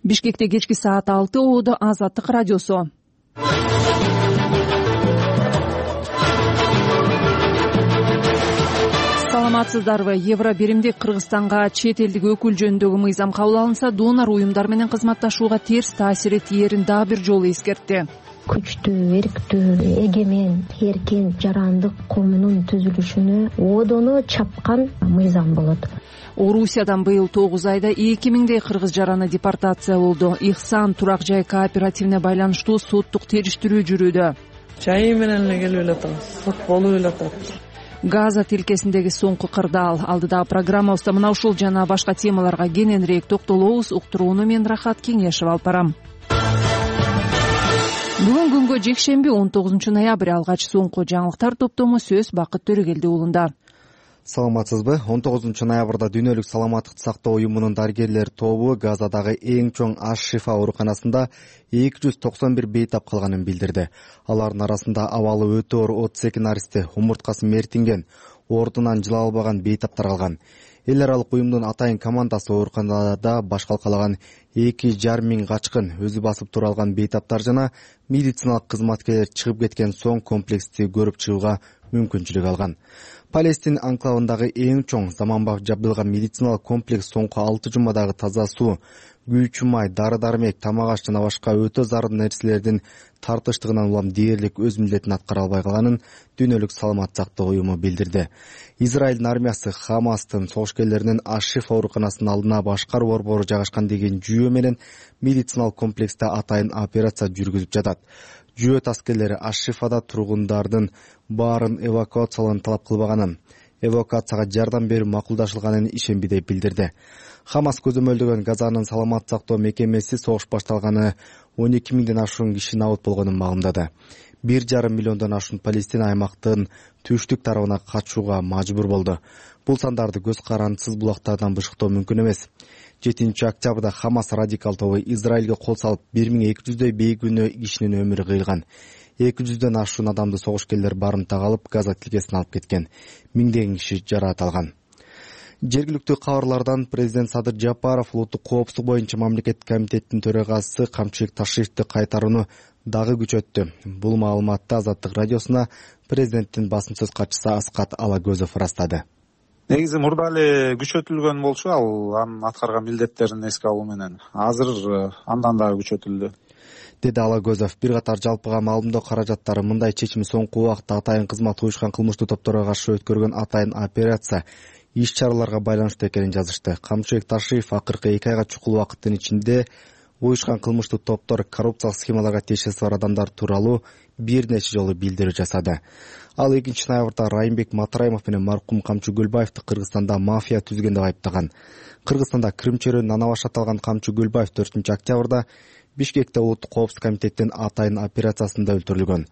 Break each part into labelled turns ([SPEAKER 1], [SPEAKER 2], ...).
[SPEAKER 1] Бишкекте кечки саат 6 ободо Азаттык радиосу. Саламатсыздарбы? Евро биримдик Кыргызстанга чет элдик өкүл жөнүндөгү мыйзам кабыл алынса, донор уюмдар менен кызматташууга терс таасир этээрин дагы бир жолу эскертти.
[SPEAKER 2] Күчтүү, эрктүү, эгемен, эркин, жарандык коомунун түзүлүшүнө одоно чапкан мыйзам болот.
[SPEAKER 1] Орусиядан быйыл 9 айда 2000дей кыргыз жараны депортациялоодо. Ихсан турак жай кооперативине байланыштуу соттук териштирүү жүрүүдө.
[SPEAKER 3] Жайы менен эле келип элатабыз, сот болуп элатат.
[SPEAKER 1] Газа тилкесиндеги соңку кырдаал. Алдыдагы программабызда мына ушул жана башка темаларга кененирээк токтолобуз. Уктурууну мен Рахат Кеңешев алып барам. Бүгүн күнгө жекшемби 19 ноябрь. Алгач соңку жаңылыктар топтому сөз Бакыт Төрөгелди уулунда.
[SPEAKER 4] Саламатсызбы? 19 ноябрда Дүйнөлүк саламаттыкты сактоо уюмунун дарыгерлер тобу Газадагы эң чоң Аш-Шифа ооруканасында 291 бейтап калганын билдирди. Алардын арасында абалы өтө оор 32 наристи, умурткасы мертинген, ордунан жыла албаган бейтаптар калган. Эл аралык уюмдун атайын командасы ооруканада баш калкалаган 2,5 качкын, өзү басып тура алган бейтаптар жана медициналык кызматкерлер чыгып кеткен соң комплексти көрүп чыгууга мүмкүнчүлүк алган. Палестин анклавындагы эң чоң заманбап жабдылган медициналык комплекс соңку 6 жумадагы таза суу, күйүүчү май, дары-дармек, тамак аш жана башка өтө зарыл нерселердин тартыштыгынан улам дээрлик өз милдетин аткара албай калганын Дүйнөлүк саламаттык сактоо уюму билдирди. Израилдин армиясы Хамастын согушкерлеринин Аш-Шифа ооруканасынын алдына башкаруу борбору жайгашкан деген жүйө менен медициналык комплексте атайын операция жүргүзүп жатат. Жүйөт аскерлери Аш-Шифада тургундардын баарын эвакуациялоону талап кылбаганын, эвакуацияга жардам берүү макулдашылганын ишенби деп билдирди. Хамас көзөмөлдөгөн Газанын саламаттык сактоо мекемеси согуш башталганы 12 миңден ашуун киши набыт болгонун маалымдады. 1,5 миллиондон ашуун палестин аймактын түштүк тарабына качууга мажбур болду. Бул сандарды көз карандысыз булактардан бышыктоо мүмкүн эмес. 7 октябрда Хамас радикал тобу Израилге кол салып 1200дөй бейгүнөө кишинин өмүрү кыйылган. 200дөн ашуун адамды согушкерлер барымтага алып Газа тилкесине алып кеткен. Миңдеген киши жараат алган. Жергиликтүү кабарлардан президент Садыр Жапаров улуттук коопсуздук боюнча мамлекеттик комитеттин төрагасы Камчылык Ташиевди кайтарууну дагы күчөттү. Бул маалыматты Азаттык радиосуна президенттин басым сөз катчысы Аскат Алагөзов ырастады.
[SPEAKER 5] Негизи мурда эле күчөтүлгөн болчу, ал анын аткарган милдеттерин эске алуу менен. Азыр андан дагы күчөтүлдү,
[SPEAKER 4] деди Алагөзов. Бир катар жалпыга маалымдоо каражаттары мындай чечим соңку убакытта атайын кызмат уюшкан кылмыштуу топторго каршы өткөргөн атайын операция иш-чараларга байланыштуу экенин жазышты. Камчылык Ташиев акыркы 2 айга чукул убакыттын ичинде уюшкан кылмыштуу топтор коррупциялык схемаларга тиешеси бар адамдар тууралуу бир нече жолу билдирүү жасады. Ал 2 ноябрда Райымбек Матраимов менен маркум Камчы Гүлбаевди Кыргызстанда мафия түзгөн деп айыптаган. Кыргызстанда Крым чөйрөнүн ана башы аталган Камчы Гүлбаев 4 октябрда Бишкекте улуттук коопсуздук комитеттин атайын операциясында өлтүрүлгөн.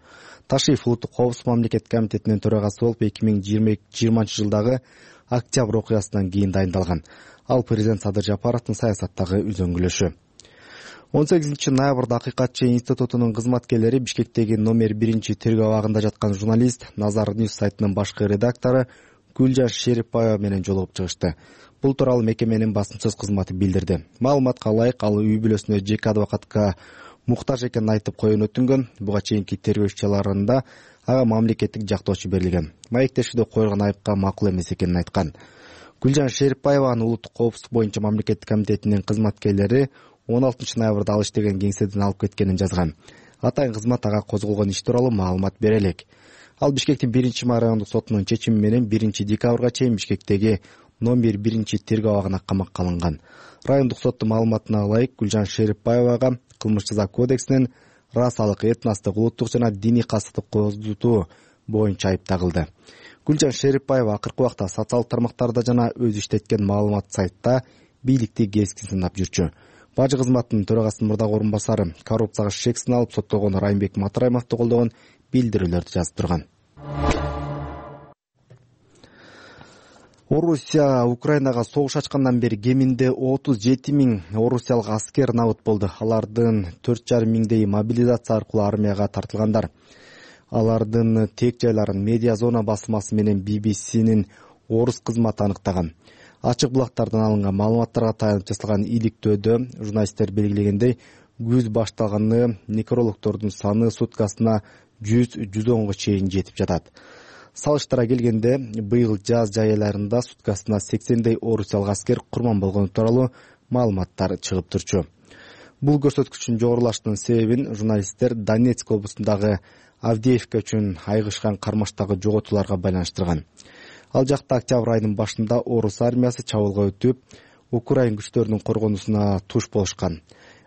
[SPEAKER 4] Ташиев улуттук коопсуздук мамлекеттик комитетинин төрагасы болуп 2020 жылдагы октябрь окуясынан кийин дайындалган. Ал президент Садыр Жапаровдун саясаттагы үзөңгүлөшү. 18 ноябрда Акыйкатчы институтунун кызматкерлери Бишкектеги номер 1 тергөө абагында жаткан журналист Назар Ньюс сайтынын башкы редактору Гүлжан Шерипбаева менен жолугуп чыгышты. Бул тууралуу мекеменин басым сөз кызматы билдирди. Маалыматка ылайык, ал үй бүлөсүнө жеке адвокатка муктаж экенин айтып коюун өтүнгөн. Буга чейинки тергөө иш-чараларында ага мамлекеттик жактоочу берилген. Маектешүүдө коюлган айыпка макул эмес экенин айткан. Гүлжан Шерипбаеванын улуттук коопсуздук боюнча мамлекеттик комитетинин кызматкерлери 16 ноябрда ал иштеген кеңседен алып кеткенин жазган. Атайын кызмат ага козголгон иш тууралуу маалымат бере элек. Ал Бишкектин 1 райондук сотунун чечими менен 1 декабрга чейин Бишкектеги номер 1 тергөө абагына камакка алынган. Райондук соттун маалыматына ылайык, Гүлжан Шерипбаевага кылмыш жаза кодексинин расалык, этностук, улуттук жана диний кастыктык козутуу боюнча айып тагылды. Гүлжан Шерипбаева акыркы убакта социалдык тармактарда жана өзү иштеткен маалымат сайтта бийликти кескин сындап жүрчү. Бажы кызматынын төрагасынын мурдагы орун басары коррупцияга шек сыналып соттолгон Райымбек Матраимовду колдогон билдирүүлөрдү жазып турган. Орусия Украинага согуш ачкандан бери кеминде 37 миң орусиялык аскер набыт болду. Алардын 4,5 миңдей мобилизация аркылуу армияга тартылгандар. Алардын тек жайларын Медиа Зона басмасы менен BBC'нин орус кызматы аныктаган. Ачык булактардан алынган маалыматтарга таянып жасалган иликтөөдө журналисттер белгилегендей, күз башталганы некрологдордун саны суткасына 100-110 чейин жетип жатат. Салыштыра келгенде, быйыл жаз жай айларында суткасына 80дей орусиялык аскер курман болгону тууралуу маалыматтар чыгып турчу. Бул көрсөткүчтүн жогорулашынын себебин журналисттер Донецк облусундагы Авдеевка үчүн айгышкан кармаштагы жоготууларга байланыштырган. Ал жакта октябрь айынын башында орус армиясы чабуулга өтүп, Украин күчтөрүнүн коргонусуна туш болушкан.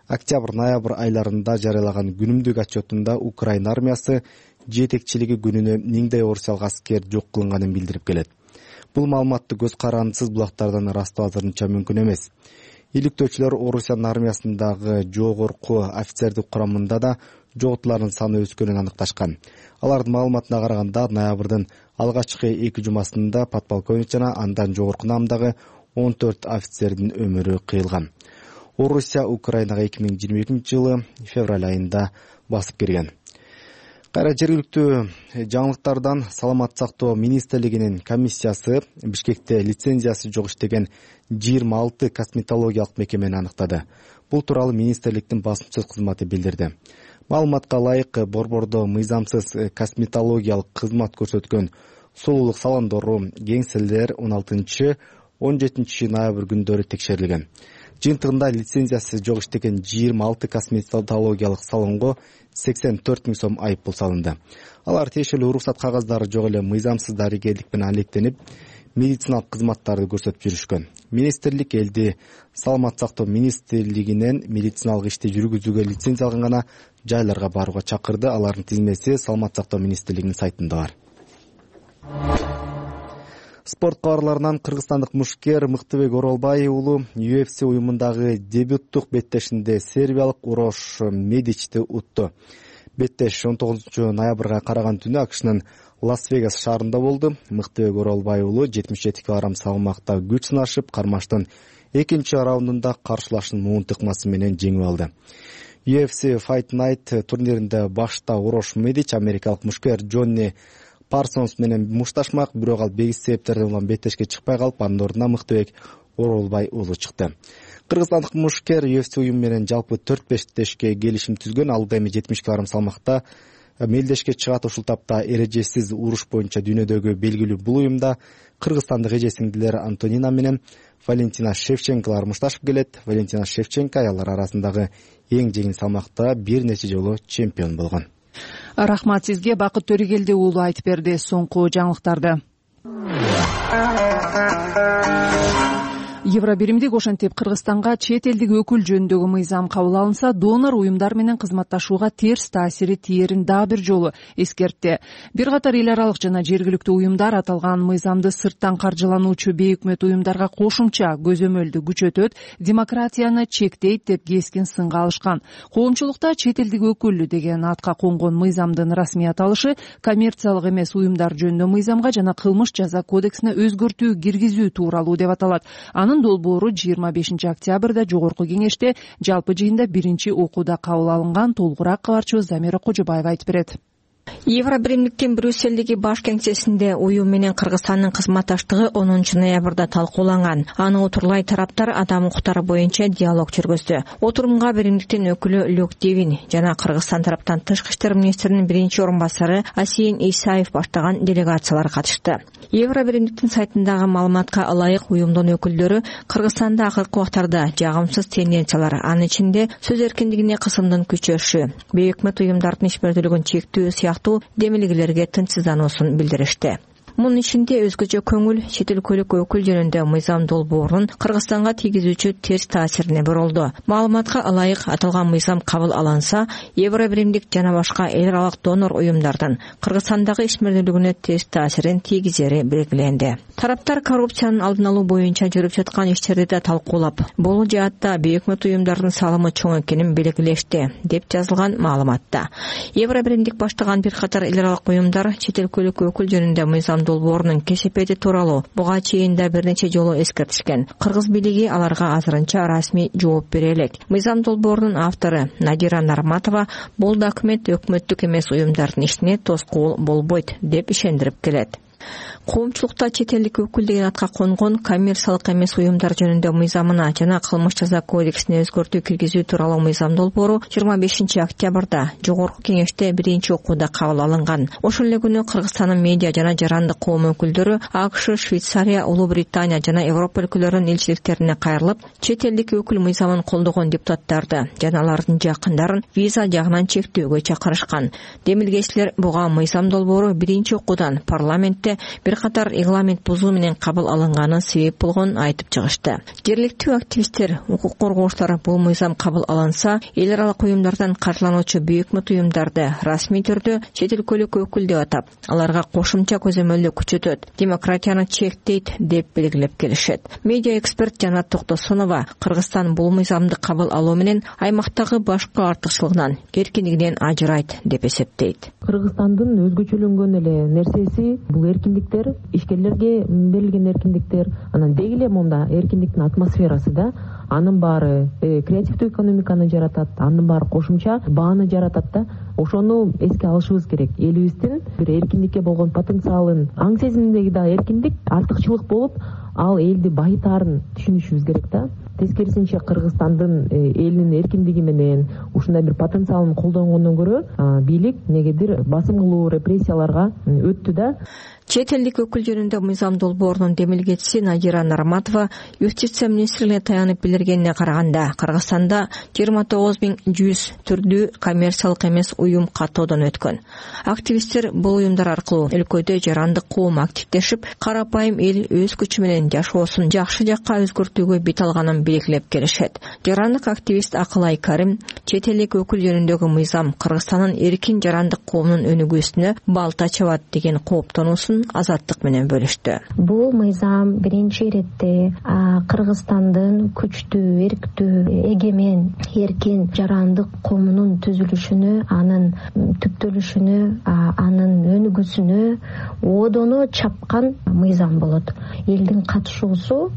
[SPEAKER 4] Октябрь-ноябрь айларында жарыялаган күнүмдүк отчетунда Украин армиясы жетекчилиги күнүнө 1000дей орусиялык аскер жок кылынганын билдирип келет. Бул маалыматты көз карандысыз булактардан ырастоо азырынча мүмкүн эмес. Иликтөөчүлөр Орусиянын армиясындагы жогорку офицердик курамында да жоготуулардын саны өскөнүн аныкташкан. Алардын маалыматына караганда, ноябрдын алгачкы 2 жумасында подполковник жана андан жогорку наамдагы 14 офицердин өмүрү кыйылган. Орусия Украинага 2022-жылы февраль айында басып кирген. Кайра жергиликтүү жаңылыктардан Саламат сактоо министрлигинин комиссиясы Бишкекте лицензиясы жок иштеген 26 косметологиялык мекемени аныктады. Бул тууралуу министрликтин басымчылык кызматы билдирди. Маалыматка ылайык, борбордо мыйзамсыз косметологиялык кызмат көрсөткөн сулуулук салондору, кеңселер 16-17 ноябрь күндөрү текшерилген. Жыйынтыгында лицензиясы жок иштеген 26 косметологиялык салонго 84 000 сом айыппул салынды. Алар тиешелүү уруксат кагаздары жок эле мыйзамсыз дарыгерлик менен алектенип, медициналык кызматтарды көрсөтүп жүрүшкөн. Министрлик элди Саламат сактоо министрлигинен медициналык ишти жүргүзүүгө лицензия алган гана жайларга барууга чакырды. Алардын тизмеси Саламат сактоо министрлигинин сайтында бар. Спорт кабарларынан Кыргызстандык мушкер Мыктыбек Оролбай уулу UFC уюмундагы дебюттук беттешинде сербиялык Урош Медичти утту. Беттеш 19 ноябрга караган түнү АКШнын Лас-Вегас шаарында болду. Мыктыбек Оролбай уулу 77 кг салмакта күч сынашып, кармаштын экинчи раундунда каршылашын муун тыкмасы менен жеңип алды. UFC Fight Night турниринде башта Урош Медич америкалык мушкер Джонни Парсонс менен мушташмак, бирок ал бегис себептерден улам беттешке чыкпай калып, анын ордуна Мыктыбек Оролбай уулу чыкты. Кыргызстандык мушкер UFC уюму менен жалпы 4-5 келишим түзгөн. Ал эми 70 кг салмакта мелдешке чыгат. Ушул тапта эрежесиз уруш боюнча дүйнөдөгү белгилүү бул уюмда кыргызстандык эже-сиңдилер Антонина менен Валентина Шевченколор мушташып келет. Валентина Шевченко аялдар арасындагы эң жеңил салмакта бир нече жолу чемпион болгон.
[SPEAKER 1] Рахмат сизге. Бакыт Төрегелди уулу айтып берди соңку жаңылыктарды. Евробиримдик ошентип Кыргызстанга чет элдик өкүл жөнүндөгү мыйзам кабыл алынса, донор уюмдар менен кызматташууга терс таасири тиерин дагы бир жолу эскертти. Бир катар эл аралык жана жергиликтүү уюмдар аталган мыйзамды сырттан каржылануучу бейөкмөт уюмдарга кошумча көзөмөлдү күчөтөт, демократияны чектейт деп кескин сынга алышкан. Коомчулукта чет элдик өкүл деген атка конгон мыйзамдын расмий аталышы коммерциялык эмес уюмдар жөнүндө мыйзамга жана кылмыш жаза кодексине өзгөртүү киргизүү тууралуу деп аталат. Анын долбоору 25 октябрда жогорку кеңеште жалпы жыйында биринчи окууда кабыл алынган. Толугураак кабарчыбыз Замира Кожобаева айтып берет.
[SPEAKER 2] Евробиримдиктин Брюссельдеги баш кеңсесинде уюм менен Кыргызстандын кызматташтыгы 10 ноябрда талкууланган. Аны отурлай тараптар адам укуктары боюнча диалог жүргүздү. Отурумга биримдиктин өкүлү Люк Девин жана Кыргызстан тараптан тышкы иштер министринин биринчи орун басары Асийин Исаев баштаган делегациялар катышты. Евробиримдиктин сайтындагы маалыматка ылайык уюмдун өкүлдөрү Кыргызстанда акыркы убактарда жагымсыз тенденциялар, анын ичинде сөз эркиндигине кысымдын күчөшү, бейөкмөт уюмдардын ишмердүүлүгүн чектөө сыяктуу демилгелерге тынчсыздануусун билдиришти. Мунун ичинде өзгөчө көңүл чет өлкөлүк өкүл жөнүндө мыйзам долбоорунун Кыргызстанга тийгизүүчү терс таасирине бурулду. Маалыматка ылайык аталган мыйзам кабыл алынса, Евробиримдик жана башка эл аралык донор уюмдардын Кыргызстандагы ишмердүүлүгүнө терс таасирин тийгизери белгиленди. Тараптар коррупциянын алдын алуу боюнча жүрүп жаткан иштерди да талкуулап, бул жаатта бейөкмөт уюмдардын салымы чоң экенин белгилешти, деп жазылган маалыматта. Евробиримдик баштаган бир катар эл аралык уюмдар чет өлкөлүк өкүл жөнүндө мыйзам долбоорунун кесепети тууралуу буга чейин да бир нече жолу эскертишкен. Кыргыз бийлиги аларга азырынча расмий жооп бере элек. Мыйзам долбоорунун автору Надира Нарматова бул документ өкмөттүк эмес уюмдардын ишине тоскоол болбойт деп ишендирип келет. Коомчулукта чет элдик өкүл деген атка конгон коммерциялык эмес уюмдар жөнүндө мыйзамына жана кылмыш жаза кодексине өзгөртүү киргизүү тууралуу мыйзам долбоору 25 октябрда жогорку кеңеште биринчи окууда кабыл алынган. Ошол эле күнү Кыргызстандын медиа жана жарандык коом өкүлдөрү АКШ, Швейцария, Улуу Британия жана Европа өлкөлөрүнүн элчиликтерине кайрылып, чет элдик өкүл мыйзамын колдогон депутаттарды жана алардын жакындарын виза жагынан чектөөгө чакырышкан. Демилгечилер буга мыйзам долбоору биринчи окуудан парламентте бир катар регламент бузуу менен кабыл алынганы себеп болгонун айтып чыгышты. Жергиликтүү активисттер, укук коргоочулар бул мыйзам кабыл алынса, эл аралык уюмдардан каржылануучу бейөкмөт уюмдарды расмий түрдө чет өлкөлүк өкүл деп атап, аларга кошумча көзөмөлдү күчөтөт, демократияны чектейт деп белгилеп келишет. Медиа эксперт Жанат Токтосунова Кыргызстан бул мыйзамды кабыл алуу менен аймактагы башкы артыкчылыгынан, эркиндигинен ажырайт деп эсептейт.
[SPEAKER 6] Кыргызстандын өзгөчөлөнгөн эле нерсеси бул эркиндиктер, ишкерлерге берилген эркиндиктер, анан деги эле монда эркиндиктин атмосферасы да, анын баары креативдүү экономиканы жаратат, анын баары кошумча бааны жаратат да. Ошону эске алышыбыз керек. Элибиздин бир эркиндикке болгон потенциалын, аң сезиминдеги да эркиндик артыкчылык болуп, ал элди байытаарын түшүнүшүбүз керек да. Тескерисинче Кыргызстандын элинин эркиндиги менен ушундай бир потенциалын колдонгондон көрө бийлик негедир басым кылуу, репрессияларга өттү да.
[SPEAKER 2] Чет элдик өкүл жөнүндө мыйзам долбоорунун демилгечиси Надира Нарматова юстиция министрлигине таянып билдиргенине караганда, Кыргызстанда 29100 түрдүү коммерциялык эмес уюм каттоодон өткөн. Активисттер бул уюмдар аркылуу өлкөдө жарандык коом активдешип, карапайым эл өз күчү менен жашоосун жакшы жакка өзгөртүүгө бет алганын белгилеп келишет. Жарандык активист Акылай Карим чет элдик өкүл жөнүндөгү мыйзам Кыргызстандын эркин жарандык коомунун өнүгүүсүнө балта чабат деген кооптонуусун Азаттык менен бөлүштү.
[SPEAKER 7] Бул мыйзам биринчи иретте Кыргызстандын күчтүү, эрктүү, эгемен, эркин жарандык коомунун түзүлүшүнө, анын түптөлүшүнө, анын өнүгүүсүнө оодону чапкан мыйзам болот. Элдин катышуусу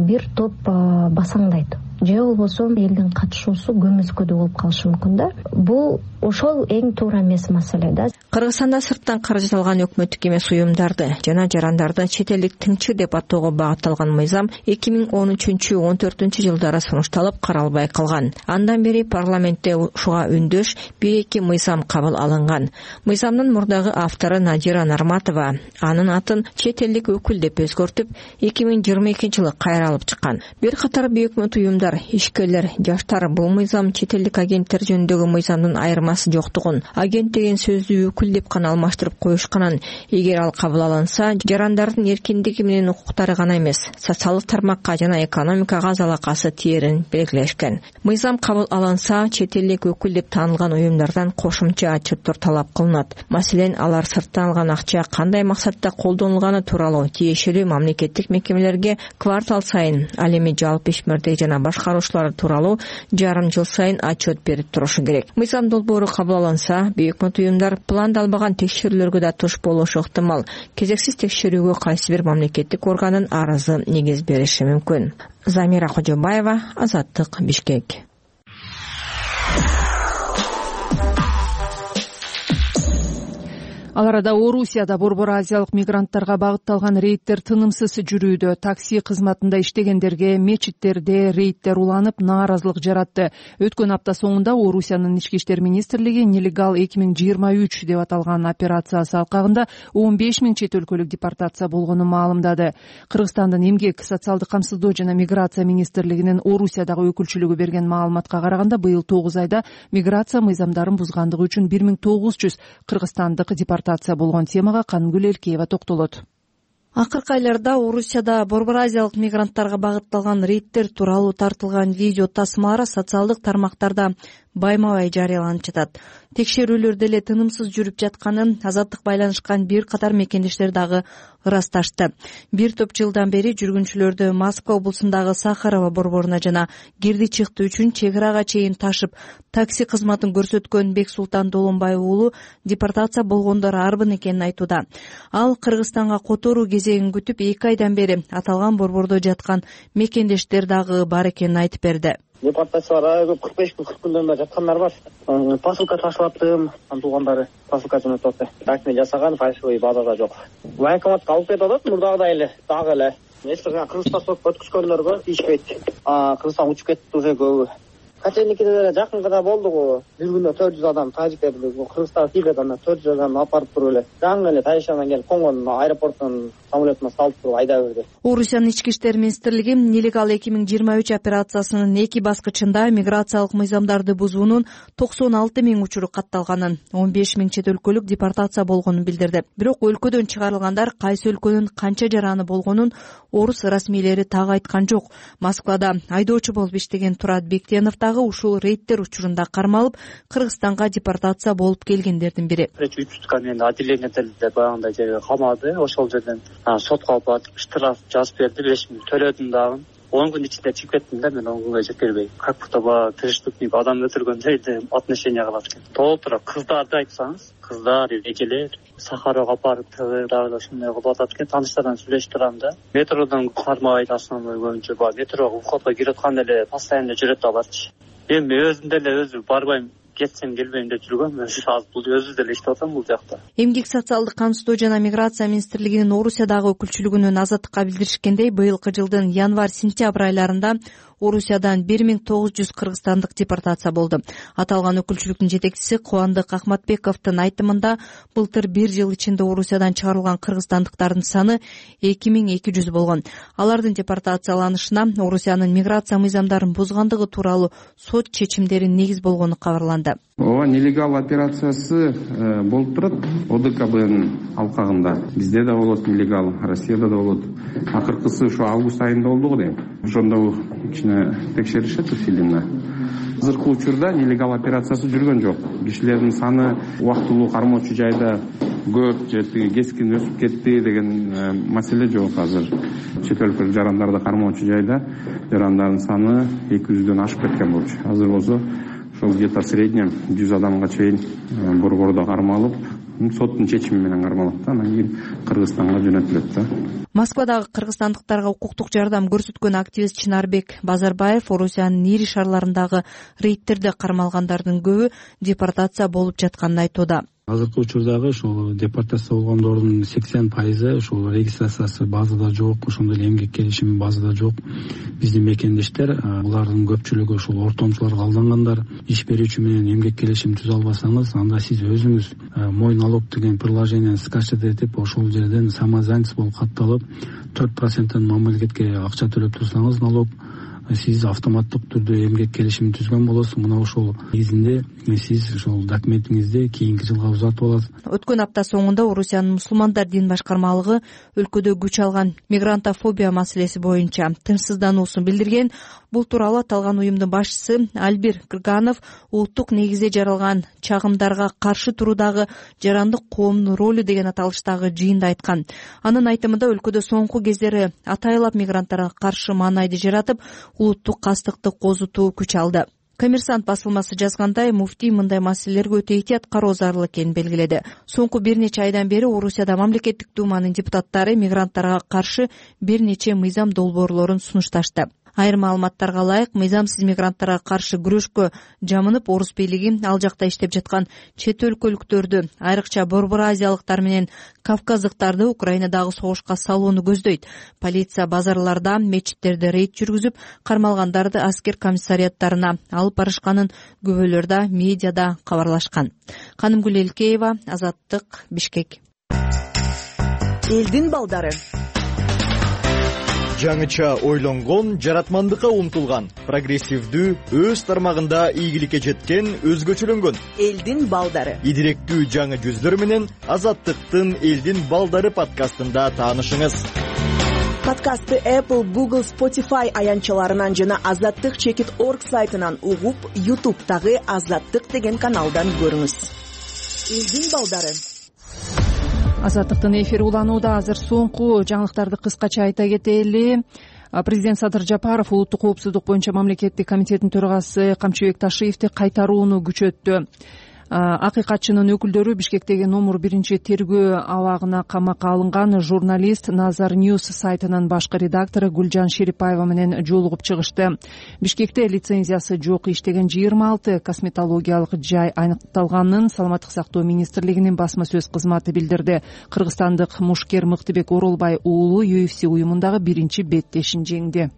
[SPEAKER 7] бир топ басаңдайт. Же болбосо элдин катышуусу көмүскөдө болуп калышы мүмкүн да. Бул ошол эң туура эмес маселе да.
[SPEAKER 2] Кыргызстанда сырттан каражат алган өкмөттүк эмес уюмдарды жана жарандарды чет элдик тыңчы деп атоого багытталган мыйзам 2013-14 жылдары сунушталып каралбай калган. Андан бери парламентте ушуга үндөш 1-2 мыйзам кабыл алынган. Мыйзамдын мурдагы автору Надира Нарматова анын атын чет элдик өкүл деп өзгөртүп 2022 жылы кайра алып чыккан. Бир катар бейөкмөт уюмдар, ишкерлер, жаштар бул мыйзам чет элдик агенттер жөнүндөгү мыйзамдын айырмасы жоктугун, агент деген сөздү өкүл деп гана алмаштырып коюшканын, эгер ал кабыл алынса, жарандардын эркиндиги менен укуктары гана эмес, социалдык тармакка жана экономикага залакасы тиерин белгилешкен. Мыйзам кабыл алынса, чет элдик өкүл деп таанылган уюмдардан кошумча отчеттор талап кылынат. Маселен, алар сырттан алган акча кандай максатта колдонулганы тууралуу тиешелүү мамлекеттик мекемелерге квартал сайын, ал эми жалпы ишмердик жана башкаруучулар тууралуу жарым жыл сайын отчет берип турушу керек. Мыйзам долбоору кабыл алынса, бейөкмөт уюмдар пландалбаган текшерүүлөргө да туш болушу ыктымал. Кезексиз текшерүүгө кайсы бир мамлекеттик органдын арызы негиз бериши мүмкүн. Замира Кожобаева, Азаттык, Бишкек.
[SPEAKER 1] Ал арада Орусияда Борбор Азиялык мигранттарга багытталган рейдтер тынымсыз жүрүүдө. Такси кызматында иштегендерге мечиттерде рейдтер уланып, нааразылык жаратты. Өткөн апта соңунда Орусиянын ички иштер министрлиги нелегал 2023 деп аталган операциясы алкагында 15 000 чет өлкөлүк депортация болгонун маалымдады. Кыргызстандын эмгек, социалдык камсыздоо жана миграция министрлигинин Орусиядагы өкүлчүлүгү берген маалыматка караганда, быйыл 9 айда миграция мыйзамдарын бузгандыгы үчүн 1900 кыргызстандык депортация болгон. Темага Канымгүл Элкеева токтолот.
[SPEAKER 8] Акыркы айларда Орусияда Борбор Азиялык мигранттарга багытталган рейдтер тууралуу тартылган видео тасмалар социалдык тармактарда байма-бай жарыяланып жатат. Текшерүүлөр деле тынымсыз жүрүп жатканын Азаттык байланышкан бир катар мекендештер дагы ырасташты. Бир топ жылдан бери жүргүнчүлөрдү Москва облусундагы Сахарова борборуна жана кирди чыкты үчүн чек арага чейин ташып, такси кызматын көрсөткөн Бексултан Долонбаев уулу депортация болгондор арбын экенин айтууда. Ал Кыргызстанга которуу кезегин күтүп 2 айдан бери аталган борбордо жаткан мекендештер дагы бар экенин айтып берди.
[SPEAKER 9] депортацияларга көп 45 күндөн бери жаткандар бар. Посылка ташылаттым, туугандары посылка жөнөтүп атты. Так жасаган фальшивый базада жок. Военкоматка алып кетип атат, мурдагыдай эле, дагы эле. Эсиңе Кыргызстан өткүзгөндөргө тийишпейт. Кыргызстан учуп кетти уже көбү. Каченикиде деле жакында болду. Бир күндө 400 адам тажиктерди Кыргызстанга тийгет, анда 400 адам апарып туруп эле. Жаңы эле Тайшандан келип конгон аэропорттон самолетуна салып туруп айдап берди.
[SPEAKER 8] Орусиянын ички иштер министрлиги нелегал 2023 операциясынын 2 баскычында миграциялык мыйзамдарды бузуунун 96 000 учуру катталганын, 15 000 чет өлкөлүк депортация болгонун билдирди. Бирок өлкөдөн чыгарылгандар кайсы өлкөнүн канча жараны болгонун орус расмийлери так айткан жок. Москвада айдоочу болуп иштеген Турат Бектенов дагы ушул рейдтер учурунда кармалып, Кыргызстанга депортация болуп келгендердин бири.
[SPEAKER 10] 3 отделениеде баягындай жерге камады. Ошол жерден сотко алып барып штраф жазып берди, 5 000 төлөдүм дагы. 10 күн ичинде чыгып кеттим да, мен 10 күнгө жетпей. Как будто ба преступник адам өлтүргөндөй отношение кылат экен. Толтура кыздарды айтсаңыз, кыздар, эжелер Сахарова апарып дагы ошондой кылып атат экен. Тааныштардан сүйлөшүп турам да. Метродон кармабайт, основной көбүнчө ба метрого входко кирип атканда эле постоянно жүрөт аларчы. Эми өзүм деле барбайм, кетсем келбейм деп жүргөм. Азыр бул өзү деле иштеп атам бул жакта.
[SPEAKER 8] Эмгек социалдык камсыздоо жана миграция министрлигинин Орусиядагы өкүлчүлүгүнүн Азаттыкка билдиришкендей, быйылкы жылдын январь-сентябрь айларында Орусиядан 1900 кыргызстандык депортация болду. Аталган өкүлчүлүктүн жетекчиси Кубандык Акматбековдун айтымында, былтыр 1 жыл ичинде Орусиядан чыгарылган кыргызстандыктардын саны 2200 болгон. Алардын депортацияланышына Орусиянын миграция мыйзамдарын бузгандыгы тууралуу сот чечимдери негиз болгону кабарланды.
[SPEAKER 11] Ооба, нелегал операциясы болуп турат ОДКБнын алкагында. Бизде да болот нелегал, Россияда да болот. Акыркысы ушу август айында болду го дейм. Ошондо кичине текшеришет усиленно. Азыркы учурда нелегал операциясы жүргөн жок. Кишилердин саны убактылуу кармоочу жайда көп же кескин өсүп кетти деген маселе жок азыр. Чет өлкөлүк жарандарды кармоочу жайда жарандардын саны 200дөн ашып кеткен болчу. Азыр болсо ошол где-то в среднем 100 адамга чейин борбордо кармалып, соттун чечими менен кармалат да, анан кийин Кыргызстанга жөнөтүлөт да.
[SPEAKER 8] Москвадагы кыргызстандыктарга укуктук жардам көрсөткөн активист Чынарбек Базарбаев Орусиянын ири шаарларындагы рейдтерде кармалгандардын көбү депортация болуп жатканын айтууда.
[SPEAKER 12] Азыркы учурдагы ушул депортация болгондордун 80% ушул регистрациясы базада жок, ошондой эле эмгек келишими базада жок. Биздин мекендештер, булардын көпчүлүгү ушул ортомчуларга алдангандар. Иш берүүчү менен эмгек келишим түзө албасаңыз, анда сиз өзүңүз мой налог деген приложениени скачать этип, ошол жерден самозанятость болуп катталып, 4% мамлекетке акча төлөп турсаңыз налог, сиз автоматтык түрдө эмгек келишим түзгөн болосуз. Мына ошол негизинде сиз ошол документиңизди кийинки жылга узатып аласыз.
[SPEAKER 8] Өткөн апта соңунда Орусиянын мусулмандар дин башкармалыгы өлкөдө күч алган мигрантофобия маселеси боюнча тынчсыздануусун билдирген. Бул тууралуу аталган уюмдун башчысы Альбир Кырганов улуттук негизде жаралган чагымдарга каршы туруудагы жарандык коомдун ролу деген аталыштагы жыйында айткан. Анын айтымында өлкөдө соңку кездери атайлап мигранттарга каршы маанайды жаратып, улуттук кастыкты козутуу күч алды. Коммерсант басылмасы жазгандай, муфтий мындай маселелерге өтө этият кароо зарыл экенин белгиледи. Соңку бир нече айдан бери Орусияда мамлекеттик думанын депутаттары мигранттарга каршы бир нече мыйзам долбоорлорун сунушташты. Айрым маалыматтарга ылайык, мыйзамсыз мигранттарга каршы күрөшкө жамынып, орус бийлиги ал жакта иштеп жаткан чет өлкөлүктөрдү, айрыкча Борбор Азиялыктар менен кавказдыктарды Украинадагы согушка салууну көздөйт. Полиция базарларда, мечиттерде рейд жүргүзүп, кармалгандарды аскер комиссариаттарына алып барышканын күбөлөрдө медиада кабарлашкан. Канымгүл Элкеева, Азаттык, Бишкек.
[SPEAKER 13] Элдин балдары. Жаңыча ойлонгон, жаратмандыкка умтулган, прогрессивдүү, өз тармагында ийгиликке жеткен, өзгөчөлөнгөн элдин балдары. Идиректүү жаңы жүздөр менен Азаттыктын Элдин балдары подкастында таанышыңыз. Подкастты Apple, Google, Spotify аянтчаларынан жана azattik.org сайтынан угуп, YouTube'дагы Азаттык деген каналдан көрүңүз. Элдин балдары.
[SPEAKER 1] Азаттыктын эфири уланууда. Азыр соңку жаңылыктарды кыскача айта кетели. Президент Садыр Жапаров улуттук коопсуздук боюнча мамлекеттик комитеттин төрагасы Камчыбек Ташиевди кайтарууну күчөттү. Акыйкатчынын өкүлдөрү Бишкектеги номер 1 тергөө абагына камакка алынган журналист Nazar News сайтынын башкы редактору Гүлжан Шерипаева менен жолугуп чыгышты. Бишкекте лицензиясы жок иштеген 26 косметологиялык жай аныкталганын Саламаттык сактоо министрлигинин басма сөз кызматы билдирди. Кыргызстандык мушкер Мыктыбек Оролбай уулу UFC уюмундагы 1-беттешин жеңди.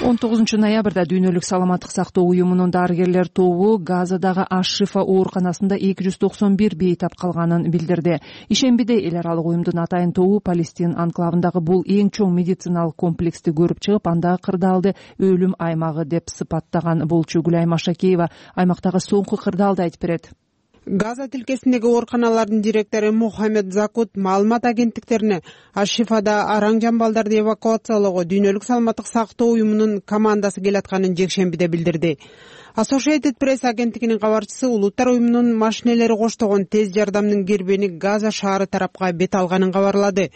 [SPEAKER 1] 19 ноябрда дүйнөлүк саламаттык сактоо уюмунун дарыгерлер тобу Газадагы Аш-Шифа ооруканасында 291 бейтап калганын билдирди. Ишембиде эл аралык уюмдун атайын тобу Палестин анклавындагы бул эң чоң медициналык комплексти көрүп чыгып, андагы кырдаалды өлүм аймагы деп сыпаттаган болчу. Гүлайым Ашакеева аймактагы соңку кырдаалды айтып берет.
[SPEAKER 14] Газа тилкесиндеги ооруканалардын директору Мухаммед Закут маалымат агенттиктерине Аш-Шифада араң жамбалдарды эвакуациялоого дүйнөлүк саламаттык сактоо уюмунун командасы келатканын жекшембиде билдирди. Associated Press агенттигинин кабарчысы улуттар уюмунун машинелери коштогон тез жардамдын кирбени Газа шаары тарапка бет алганын кабарлады.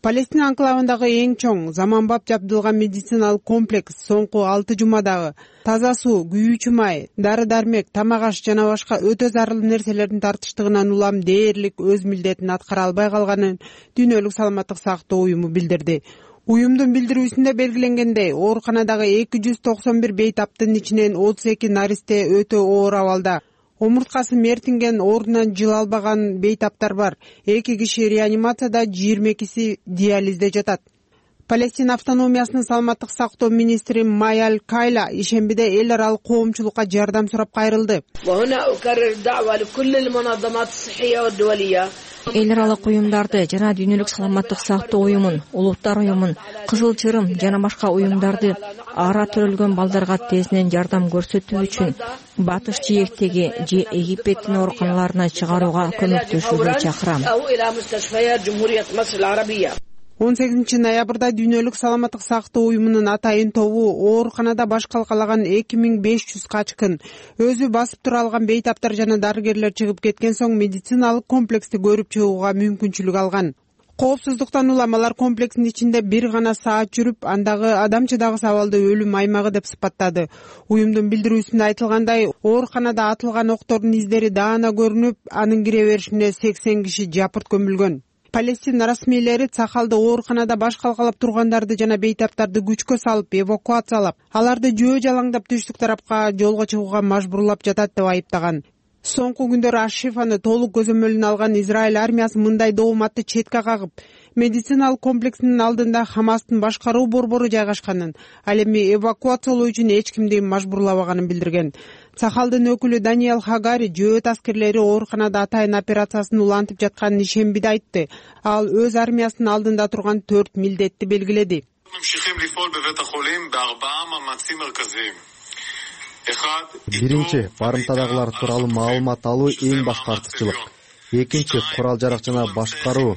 [SPEAKER 14] Палестин анклавындагы эң чоң заманбап жабдылган медициналык комплекс соңку 6 жумадагы таза суу, күйүүчү май, дары-дармек, тамак-аш жана башка өтө зарыл нерселердин тартыштыгынан улам дээрлик өз милдетин аткара албай калганын дүйнөлүк саламаттык сактоо уюму билдирди. Уюмдун билдирүүсүндө белгиленгендей, ооруканадагы 291 бейтаптын ичинен 32 наристе өтө оор абалда. Омурткасы мертинген, ордунан жыла албаган бейтаптар бар. 2 киши реанимацияда, 22си диализде жатат. Палестин автономиясынын саламаттык сактоо министри Майал Кайла ишембиде эл аралык коомчулукка жардам сурап кайрылды.
[SPEAKER 2] Эл аралык уюмдарды жана дүйнөлүк саламаттык сактоо уюмун, улуттар уюмун, Кызыл Чырым жана башка уюмдарды ара төрөлгөн балдарга тезинен жардам көрсөтүү үчүн Батыш Жээктеги же Египеттин ооруканаларына чыгарууга көмөктөшүүгө чакырам.
[SPEAKER 14] 18 ноябрда дүйнөлүк саламаттык сактоо уюмунун атайын тобу ооруканада баш калкалаган 2500 качкын, өзү басып тура алган бейтаптар жана дарыгерлер чыгып кеткен соң медициналык комплексти көрүп чыгууга мүмкүнчүлүк алган. Коопсуздуктан улам алар комплексинин ичинде бир гана саат жүрүп, андагы адам чыдагыс абалды өлүм аймагы деп сыпаттады. Уюмдун билдирүүсүндө айтылгандай, ооруканада атылган октордун издери даана көрүнүп, анын кире беришине 80 киши жапырт көмүлгөн. Палестин расмийлери Цахалды ооруканада баш калкалап тургандарды жана бейтаптарды күчкө салып эвакуациялап, аларды жөө жалаңдап түштүк тарапка жолго чыгууга мажбурлап жатат деп айыптаган. Соңку күндөрү Аш-Шифаны толук көзөмөлүнө алган Израиль армиясы мындай дооматты четке кагып, медициналык комплексинин алдында Хамастын башкаруу борбору жайгашканын, ал эми эвакуациялоо үчүн эч кимди мажбурлабаганын билдирген. Цахалдын өкүлү Даниэл Хагари жөөт аскерлери ооруканада атайын операциясын улантып жатканын ишембиде айтты. Ал өз армиясынын алдында турган 4 милдетти белгиледи.
[SPEAKER 4] Биринчи, барымтадагылар тууралуу маалымат алуу эң башкы артыкчылык. Экинчи, курал-жарак жана башкаруу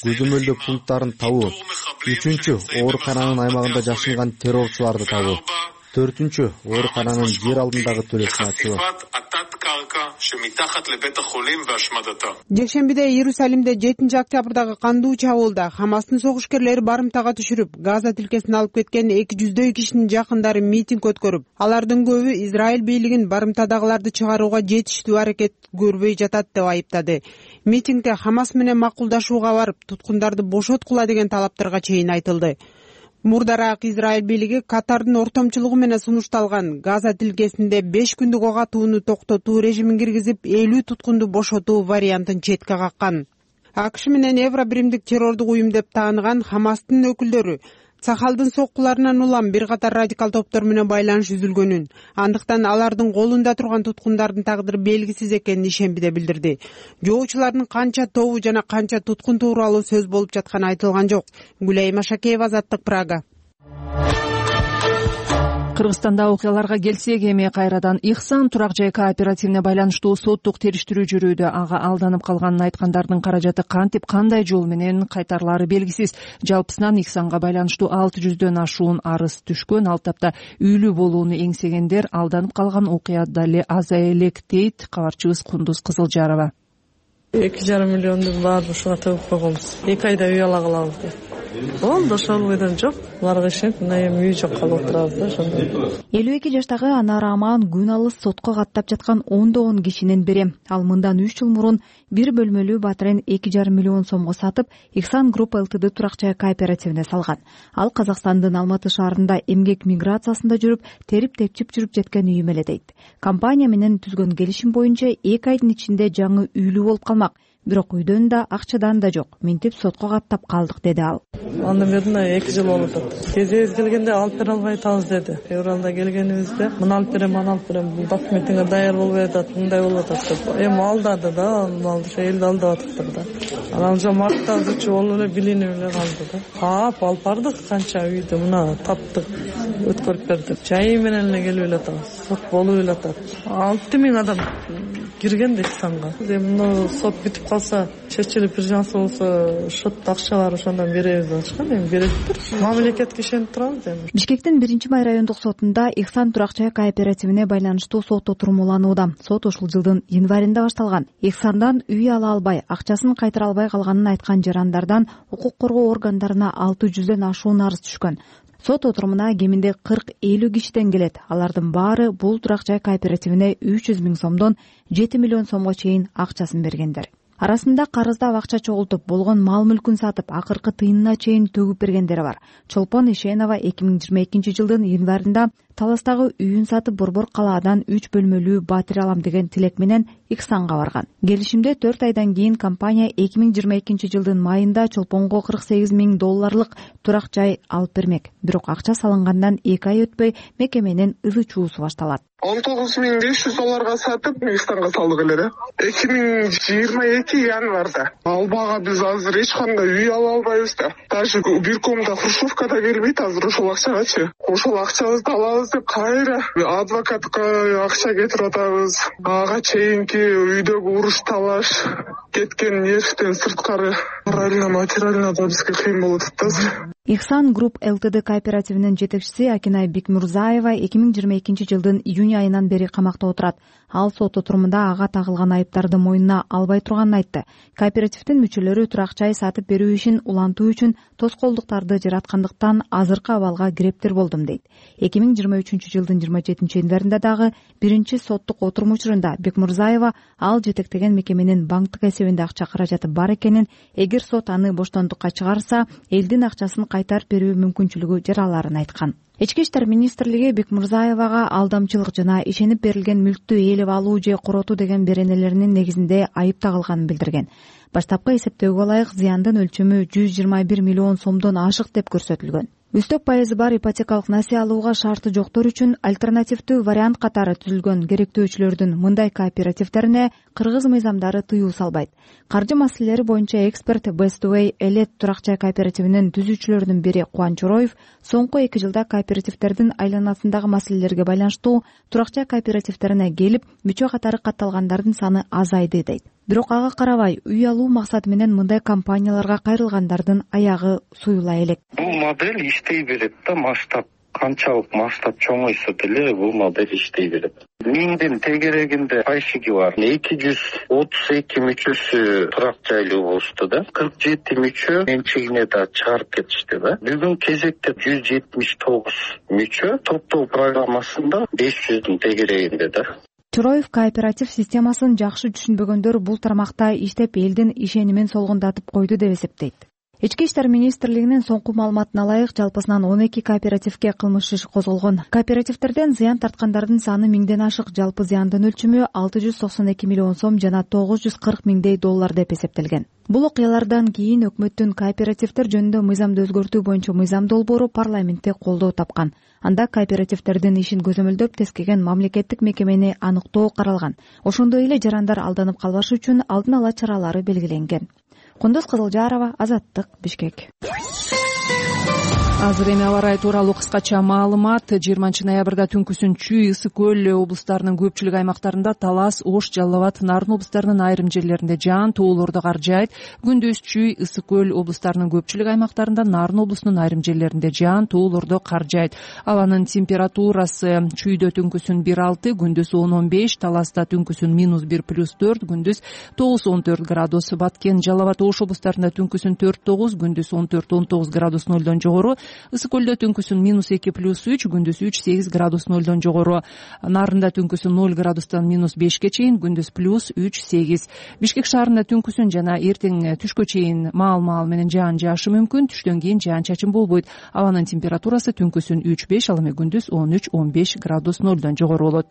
[SPEAKER 4] көзөмөлдөө пункттарын табуу. Үчүнчү, оорукананын аймагында жашынган террорчуларды табуу. Төртүнчү, оорукананын жер алдындагы төлөсүн ачуу.
[SPEAKER 14] Жекшембиде Иерусалимде 7-октябрдагы кандуу чабуулда Хамастын согушкерлери барымтага түшүрүп, Газа тилкесин алып кеткен 200 кишинин жакындары митинг өткөрүп, алардын көбү Израиль бийлигин барымтадагыларды чыгарууга жетиштүү аракет көрбөй жатат деп айыптады. Митингде Хамас менен макулдашууга барып, туткундарды бошоткула деген талаптарга чейин айтылды. Мурдараак Израиль бийлиги Катардын ортомчулугу менен сунушталган Газа тилкесинде 5 күндүк ок атууну токтотуу режимин киргизип, 50 туткунду бошотуу вариантын четке каккан. АКШ менен Евробиримдик террордук уюм деп тааныган Хамастын өкүлдөрү Цахалдын соккуларынан улам бир катар радикал топтор менен байланыш үзүлгөнүн, андыктан алардын колунда турган туткундардын тагдыры белгисиз экенин ишембиде билдирди. Жоочулардын канча тобу жана канча туткун тууралуу сөз болуп жатканы айтылган жок. Гүлайым Ашакеева, Азаттык, Прага.
[SPEAKER 1] Кыргызстанда окуяларга келсек, эми кайрадан Ихсан турак жай кооперативине байланыштуу соттук териштирүү жүрүүдө. Ага алданып калганын айткандардын каражаты кантип, кандай жол менен кайтарылары белгисиз. Жалпысынан Ихсанга байланыштуу 600дөн ашуун арыз түшкөн. Ал тапта үйлүү болууну эңсегендер алданып калган окуя дале азая элек дейт кабарчыбыз Кундуз Кызылжарова.
[SPEAKER 3] 2,5 миллионду баары ушуга төгүп койгонбуз. 2 айда үй ала калабыз деп. болду ошол бойдон жок. Буларга ишенип мына эми үй жок калып отурабыз да ошондой.
[SPEAKER 8] 52 жаштагы Анар Аман күн алыс сотко каттап жаткан ондогон кишинин бири. Ал мындан 3 жыл мурун бир бөлмөлүү батирен 2,5 миллион сомго сатып, Ихсан Групп Ltd турак-жай кооперативине салган. Ал Казакстандын Алматы шаарында эмгек миграциясында жүрүп, терип-тепчип жүрүп жеткен үйүм эле дейт. Компания менен түзгөн келишим боюнча 2 айдын ичинде жаңы үйлүү болуп калмак. Бирок үйдөн да акчадан да жок. Минтип сотко каттап калдык деди ал.
[SPEAKER 3] Андан бери 2 жыл болуп атат. Кезебиз келгенде алып бере албай атабыз деди. Февралда келгенибизде мына алып берем, аны алып берем. Бул документиңер даяр болбой атат, мындай болуп атат деп. Эми алдады да, малды ошо элди алдап атыптыр да. Анан уже мартта зычу болуп эле билинип эле калды да. Алып бардык канча үйдү мына таптык, өткөрүп бердик. Жайы менен эле келип эле атабыз. Сот болуп эле атат. 6000 адам кирген да Ихсанга. Эми сот бүтүп калса, чечилип бир жансы болсо, шотто акча бар, ошондон беребиз деп атышкан. Эми бериптир. Мамлекетке ишенип турабыз эми.
[SPEAKER 8] Бишкектин 1-Май райондук сотунда Ихсан турак-жай кооперативине байланыштуу сот отуруму уланууда. Сот ушул жылдын январында башталган. Ихсандан үй ала албай, акчасын кайтара албай калганын айткан жарандардан укук коргоо органдарына 600дөн ашуун арыз түшкөн. Сот отурумуна кеминде 40-50 кишиден келет. Алардын баары бул турак-жай кооперативине 300 миң сомдон 7 миллион сомго чейин акчасын бергендер. Арасында карыздап акча чогултуп, болгон мал-мүлкүн сатып, акыркы тыйынына чейин төгүп бергендери бар. Чолпон Ишенова 2022 жылдын январында Таластагы үйүн сатып Борбор калаадан 3 бөлмөлүү батир алам деген тилек менен Ихсанга барган. Келишимде 4 айдан кийин компания 2022 жылдын майында Чолпонго $48 миң турак-жай алып бермек. Бирок акча салынгандан 2 ай өтпөй мекеменин ызы чуусу башталат.
[SPEAKER 15] $19,500 сатып Ихсанга салдык эле да. 2022 январда. Албага биз азыр эч кандай үй ала албайбыз да. Даже бир комда хрущевка да келбейт азыр ошол акчагачы. Ошол акчабызды алабыз деп кайра адвокатка акча кетирип атабыз. Ага чейинки үйдөгү уруш талаш кеткен нервден сырткары морально, материально да бизге кыйын болуп атат азыр.
[SPEAKER 8] Ихсан Групп Ltd кооперативинин жетекчиси Акинай Бекмурзаева 2022 жылдын июнь айынан бери камакта отурат. Ал сот отурумунда ага тагылган айыптарды мойнуна албай турганын айтты. Кооперативдин мүчөлөрү турак-жай сатып берүү ишин улантуу үчүн тоскоолдуктарды жараткандыктан азыркы абалга кирептир болдум дейт. 2023 жылдын 27 январында дагы биринчи соттук отурум учурунда Бекмурзаева ал жетектеген мекеменин банктык эсебинде акча каражаты бар экенин, эгер сот аны боштондукка чыгарса, элдин акчасын кайтарып берүү мүмкүнчүлүгү жараларын айткан. Ички иштер министрлиги Бекмурзаевага алдамчылык жана ишенип берилген мүлктү ээлеп алуу же коротуу деген беренелеринин негизинде айып тагылганын билдирген. Баштапкы эсептөөгө ылайык зыяндын өлчөмү 121 миллион сомдон ашык деп көрсөтүлгөн. Үстөк пайызы бар ипотекалык насие алууга шарты жоктор үчүн альтернативдүү вариант катары түзүлгөн керектөөчүлөрдүн мындай кооперативдерине кыргыз мыйзамдары тыюу салбайт. Каржы маселелери боюнча эксперт Bestway Элет турак-жай кооперативинин түзүүчүлөрүнүн бири Кубаныч Чороев соңку 2 жылда кооперативдердин айланасындагы маселелерге байланыштуу турак-жай кооперативдерине келип, мүчө катары катталгандардын саны азайды дейт. Бирок ага карабай, үй алуу максаты менен мындай компанияларга кайрылгандардын аягы суюла элек.
[SPEAKER 16] Бул модель иштей берет да, масштаб канчалык масштаб чоңойсо деле бул модель иштей берет. Миңдин тегерегинде пайшиги бар. 232 мүчөсү турак жайлуу болушту да. 47 мүчө менчигине да чыгарып кетишти да. Бүгүн кезекте 179 мүчө топтоо программасында 500дүн тегерегинде да.
[SPEAKER 8] Чороев кооператив системасын жакшы түшүнбөгөндөр бул тармакта иштеп элдин ишенимин солгундатып койду деп эсептейт. Ички иштер министрлигинин соңку маалыматына ылайык жалпысынан 12 кооперативге кылмыш иш козголгон. Кооперативдерден зыян тарткандардын саны 1000ден ашык, жалпы зыяндын өлчөмү 692 миллион сом жана $940 миңдей деп эсептелген. Бул окуялардан кийин өкмөттүн кооперативдер жөнүндө мыйзамды өзгөртүү боюнча мыйзам долбоору парламентте колдоо тапкан. Анда кооперативдердин ишин көзөмөлдөп тескеген мамлекеттик мекемени аныктоо каралган. Ошондой эле жарандар алданып калбашы үчүн алдын ала чаралары белгиленген. Кундуз Кызылжарова, Азаттык, Бишкек.
[SPEAKER 1] Азыр эми аба ырайы тууралуу кыскача маалымат. 20-ноябрда түнкүсүн Чүй, Ысык көл облустарынын көпчүлүк аймактарында, Талас, Ош, Жалал Абад, Нарын облустарынын айрым жерлеринде жаан тоолорду кар жаайт. Күндүз Чүй, Ысык көл облустарынын көпчүлүк аймактарында, Нарын облусунун айрым жерлеринде жаан тоолорду кар жаайт. Абанын температурасы Чүйдө түнкүсүн 1-6, күндүз 10-15, Таласта түнкүсүн -1 +4, күндүз 9-14 градус. Баткен, Жалал Абад, Ош облустарында түнкүсүн 4-9, күндүз 14-19 градус нөлдөн жогору. Ысык көлдө түнкүсүн -2 +3, күндүз 3-8 градус нөлдөн жогору. Нарында түнкүсүн 0 градустан -5ке чейин, күндүз +3-8. Бишкек шаарында түнкүсүн жана эртең түшкө чейин маал менен жаан жаашы мүмкүн. Түштөн кийин жаан-чачын болбойт. Абанын температурасы түнкүсүн 3-5, ал эми күндүз 13-15 градус нөлдөн жогору болот.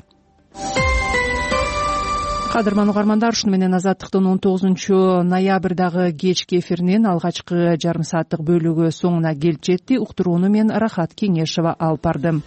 [SPEAKER 1] Кадырман угармандар, ушуну менен Азаттыктын 19-ноябрдагы кечки эфиринин алгачкы жарым сааттык бөлүгү соңуна келип жетти. Уктурууну мен Рахат Кеңешова алып бардым.